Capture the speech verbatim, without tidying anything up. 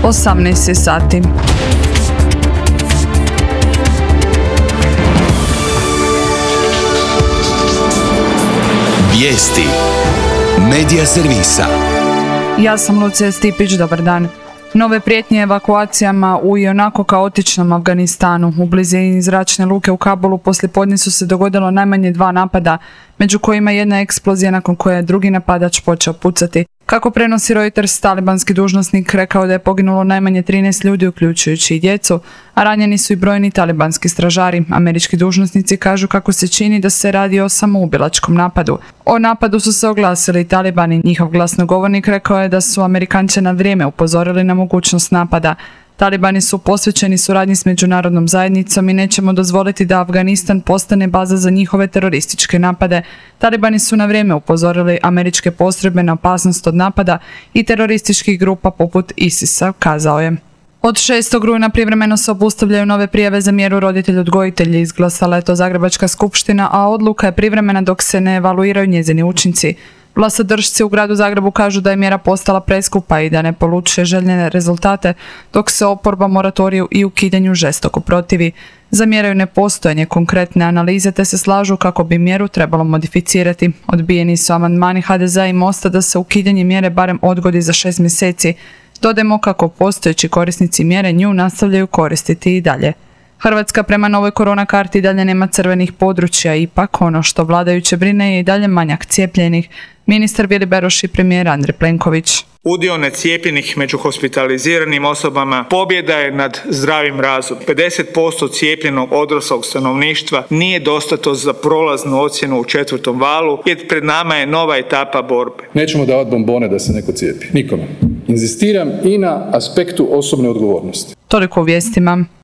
osamnaest sati. Vijesti Medija servisa. Ja sam Lucija Stipić, dobar dan. Nove prijetnje evakuacijama u ionako kaotičnom Afganistanu. U blizini zračne luke u Kabulu poslijepodne su se dogodilo najmanje dva napada, među kojima jedna eksplozija nakon koje je drugi napadač počeo pucati. Kako prenosi Reuters, talibanski dužnosnik rekao da je poginulo najmanje trinaest ljudi, uključujući i djecu, a ranjeni su i brojni talibanski stražari. Američki dužnosnici kažu kako se čini da se radi o samoubilačkom napadu. O napadu su se oglasili i talibani. Njihov glasnogovornik rekao je da su Amerikanče na vrijeme upozorili na mogućnost napada. Talibani su posvećeni suradnji s međunarodnom zajednicom i nećemo dozvoliti da Afganistan postane baza za njihove terorističke napade. Talibani su na vrijeme upozorili američke postrojbe na opasnost od napada i terorističkih grupa poput ISIS-a, kazao je. Od šestog rujna privremeno se obustavljaju nove prijave za mjeru roditelj-odgojitelji. Izglasala je to Zagrebačka skupština, a odluka je privremena dok se ne evaluiraju njezini učinci. Vlastodršci u gradu Zagrebu kažu da je mjera postala preskupa i da ne polučuje željene rezultate, dok se oporba moratoriju i ukidanju žestoko protivi. Zamjeraju nepostojanje konkretne analize te se slažu kako bi mjeru trebalo modificirati. Odbijeni su amandmani ha de zea i Mosta da se ukidanje mjere barem odgodi za šest mjeseci. Dodajmo kako postojeći korisnici mjere nju nastavljaju koristiti i dalje. Hrvatska prema novoj korona karti dalje nema crvenih područja, ipak ono što vladajuće brine je i dalje manjak cijepljenih. Ministar Vili Beroš i premijer Andrej Plenković. Udio necijepljenih među hospitaliziranim osobama pobjeda je nad zdravim razumom. pedeset posto cijepljenog odraslog stanovništva nije dostatno za prolaznu ocjenu u četvrtom valu, jer pred nama je nova etapa borbe. Nećemo davati bombone da se neko cijepi. Nikome. Inzistiram i na aspektu osobne odgovornosti. Toliko u vijestima.